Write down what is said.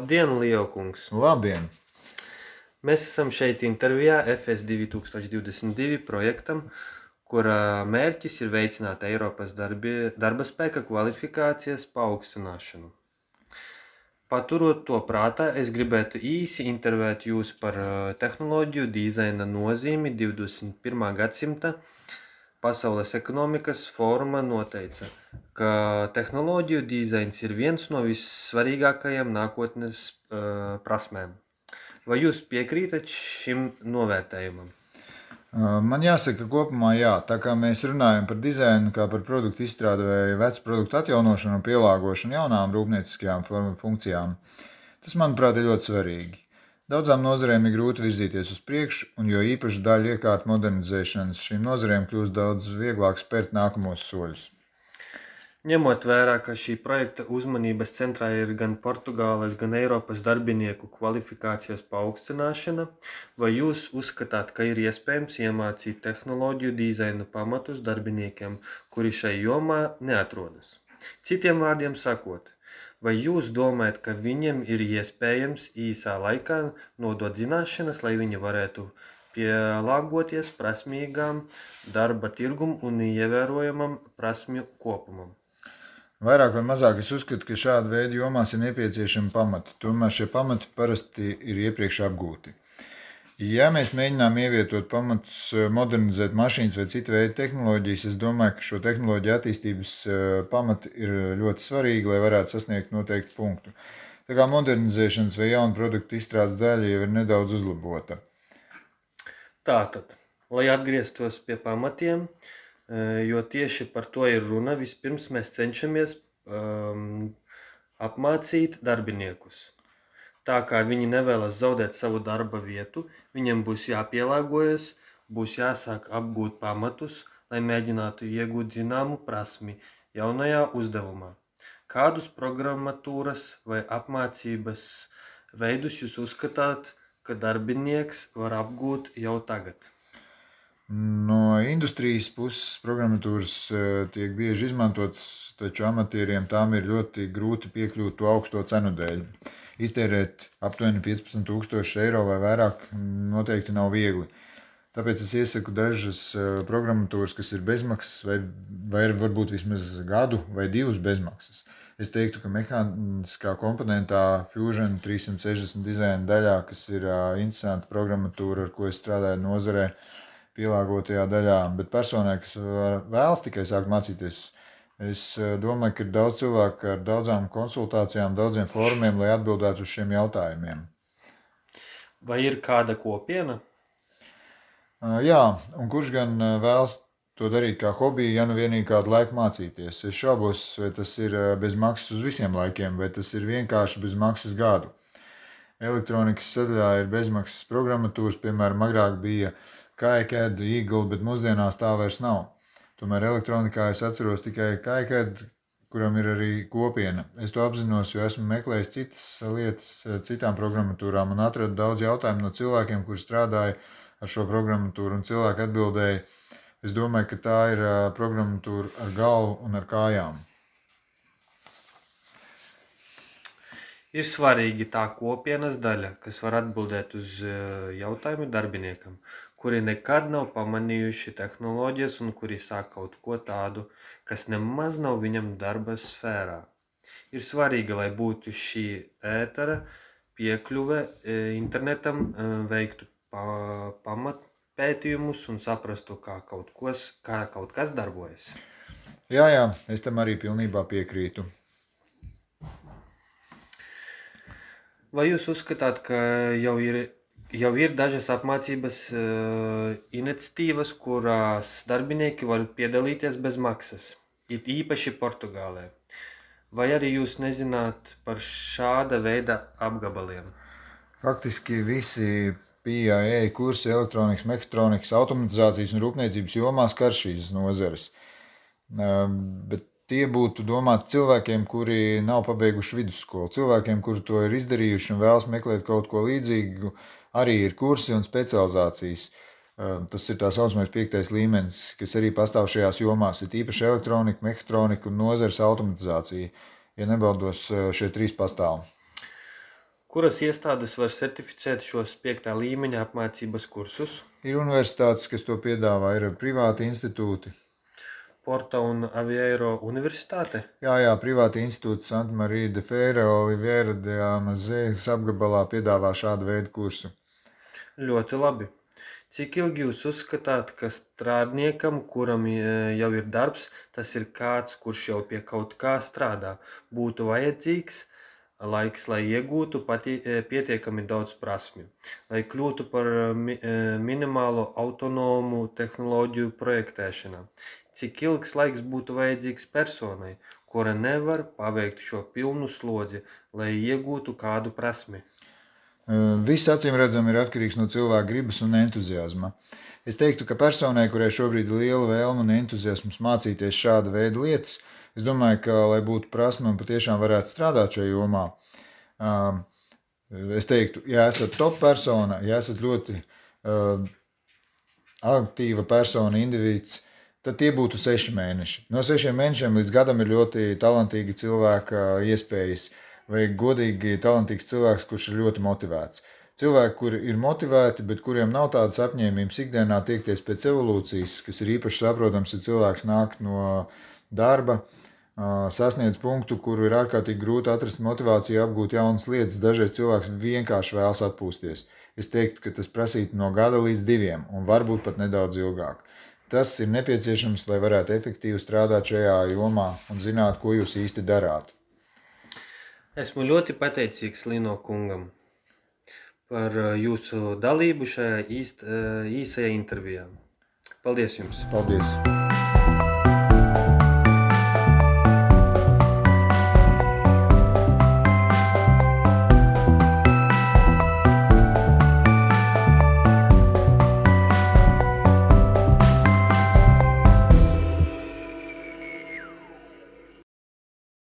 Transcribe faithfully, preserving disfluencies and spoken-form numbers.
Labdien, Lieokungs! Labdien! Mēs esam šeit intervijā F S divi tūkstoši divdesmit divi projektam, kura mērķis ir veicināt Eiropas darbi, darba spēka kvalifikācijas paaugstināšanu. Paturot to prātā, es gribētu īsi intervēt jūs par tehnoloģiju dizaina nozīmi divdesmit pirmā gadsimta. Pasaules ekonomikas fóruma noteica, ka tehnoloģiju dizains ir viens no vissvarīgākajiem nākotnes uh, prasmēm. Vai jūs piekrītat šim novērtējumam? Man jāsaka, kopumā jā, tā kā mēs runājam par dizainu, kā par produktu izstrādi vai vecu produktu atjaunošanu un pielāgošanu jaunām rūpnieciskajām funkcijām, tas, manuprāt, ir ļoti svarīgi. Daudzām nozarēm ir grūti virzīties uz priekšu, un jo īpaši daļa iekārtu modernizēšanas šīm nozarēm kļūst daudz vieglāk spērt nākamos soļus. Ņemot vērā, ka šī projekta uzmanības centrā ir gan Portugāles, gan Eiropas darbinieku kvalifikācijas paaugstināšana, vai jūs uzskatāt, ka ir iespējams iemācīt tehnoloģiju dizaina pamatus darbiniekiem, kuri šai jomā neatrodas? Citiem vārdiem sakot, vai jūs domājat, ka viņiem ir iespējams īsā laikā nodot zināšanas, lai viņi varētu pielāgoties prasmīgām darba tirgum un ievērojamam prasmju kopumam? Vairāk vai mazāk es uzskatu, ka šāda veida jomās ir nepieciešami pamati, tomēr šie pamati parasti ir iepriekš apgūti. Ja mēs mēģinām ievietot pamatus, modernizēt mašīnas vai citu veidu tehnoloģijas, es domāju, ka šo tehnoloģiju attīstības pamati ir ļoti svarīgi, lai varētu sasniegt noteiktu punktu. Tā kā modernizēšanas vai jaunu produktu izstrādes daļa jau ir nedaudz uzlabota. Tātad, lai atgrieztos pie pamatiem, jo tieši par to ir runa, vispirms mēs cenšamies um, apmācīt darbiniekus. Tā kā viņi nevēlas zaudēt savu darba vietu, viņiem būs jāpielāgojas, būs jāsāk apgūt pamatus, lai mēģinātu iegūt zināmu prasmi jaunajā uzdevumā. Kādus programmatūras vai apmācības veidus jūs uzskatāt, ka darbinieks var apgūt jau tagad? No industrijas puses programmatūras tiek bieži izmantotas, taču amatieriem tām ir ļoti grūti piekļūt to augsto cenu dēļ. Iztērēt aptuveni piecpadsmit tūkstoši eiro vai vairāk noteikti nav viegli. Tāpēc es iesaku dažas programmatūras, kas ir bezmaksas vai, vai varbūt vismaz gadu vai divus bezmaksas. Es teiktu, ka mehāniskā komponentā Fusion trīssimt sešdesmit dizaina daļā, kas ir interesanta programmatūra, ar ko es strādāju nozarē, pielāgotajā daļā, bet personai, kas vēlas tikai sākt mācīties, es domāju, ka ir daudz cilvēku ar daudzām konsultācijām, daudziem fórumiem, lai atbildētu uz šiem jautājumiem. Vai ir kāda kopiena? Jā, un kurš gan vēlas to darīt kā hobiju, ja nu vienīgi kādu laiku mācīties? Es šaubos, vai tas ir bez maksas uz visiem laikiem, vai tas ir vienkārši bez maksas gadu. Elektronikas sadaļā ir bezmaksas programmatūras, piemēram, agrāk bija KiCad, Eagle, bet mūsdienās tā vairs nav. Tomēr elektronikā es atceros tikai KiCad, kuram ir arī kopiena. Es to apzinos, jo esmu meklējis citas lietas citām programmatūrām un atradu daudz jautājumu no cilvēkiem, kuri strādāja ar šo programmatūru, un cilvēki atbildēja, es domāju, ka tā ir programmatūra ar galvu un ar kājām. Ir svarīgi tā kopienas daļa, kas var atbildēt uz jautājumu darbiniekam, kuri nekad nav pamanījuši tehnoloģijas un kuri sāk kaut ko tādu, kas nemaz nav viņam darba sfērā. Ir svarīgi, lai būtu šī ētera piekļuve internetam, veiktu pamatpētījumus un saprastu, kā kaut, kos, kā kaut kas darbojas. Jā, jā, es tam arī pilnībā piekrītu. Vai jūs uzskatāt, ka jau ir, jau ir dažas apmācības uh, iniciatīvas, kurās darbinieki var piedalīties bez maksas, it īpaši Portugālē? Vai arī jūs nezināt par šāda veida apgabaliem? Faktiski visi P I A kursi elektronikas, mehātronikas, automatizācijas un rūpniecības jomā skar šīs nozares. Uh, bet tie būtu domāti cilvēkiem, kuri nav pabeiguši vidusskolu. Cilvēkiem, kuri to ir izdarījuši un vēlas meklēt kaut ko līdzīgu, arī ir kursi un specializācijas. Tas ir tā saucamais piektais līmenis, kas arī pastāv šajās jomās. Ir īpaši elektronika, mehātronika un nozares automatizācija. Ja nebaldos, šie trīs pastāv. Kuras iestādes var certificēt šos piektā līmeņa apmācības kursus? Ir universitātes, kas to piedāvā, ir privāti institūti. Porta un Aveiro universitāte? Jā, jā, privāti institūti Santa Maria de Feira, Oliveira de Amazējas apgabalā piedāvā šādu veidu kursu. Ļoti labi. Cik ilgi jūs uzskatāt, ka strādniekam, kuram jau ir darbs, tas ir kāds, kurš jau pie kaut kā strādā, būtu vajadzīgs laiks, lai iegūtu pati, pietiekami daudz prasmju, lai kļūtu par mi, minimālo autonomu tehnoloģiju projektēšanā? Cik ilgs laiks būtu vajadzīgs personai, kura nevar paveikt šo pilnu slodzi, lai iegūtu kādu prasmi? Viss acīm redzam ir atkarīgs no cilvēka gribas un entuziasma. Es teiktu, ka personai, kurai šobrīd ir liela vēlme un entuziasms mācīties šāda veida lietas, es domāju, ka, lai būtu prasme un patiešām varētu strādāt šajā jomā, es teiktu, ja esat top persona, ja esat ļoti uh, aktīva persona, individs, tad tie būtu seši mēneši. No sešiem mēnešiem līdz gadam ir ļoti talantīgi cilvēka iespējas, vai godīgi talantīgs cilvēks, kurš ir ļoti motivēts. Cilvēki, kuri ir motivēti, bet kuriem nav tādas apņēmības ikdienā tiekties pēc evolūcijas, kas ir īpaši saprotams, ja cilvēks nāk no darba, sasniedz punktu, kuru ir ārkārtīgi grūti atrast motivāciju apgūt jaunas lietas. Dažreiz cilvēks vienkārši vēlas atpūsties. Es teiktu, ka tas prasītu no gada līdz diviem, un varbūt pat nedaudz ilgāk. Tas ir nepieciešams, lai varētu efektīvi strādāt šajā jomā un zināt, ko jūs īsti darāt. Esmu ļoti pateicīgs Lino kungam par jūsu dalību šajā īst, īsajā intervijā. Paldies jums! Paldies!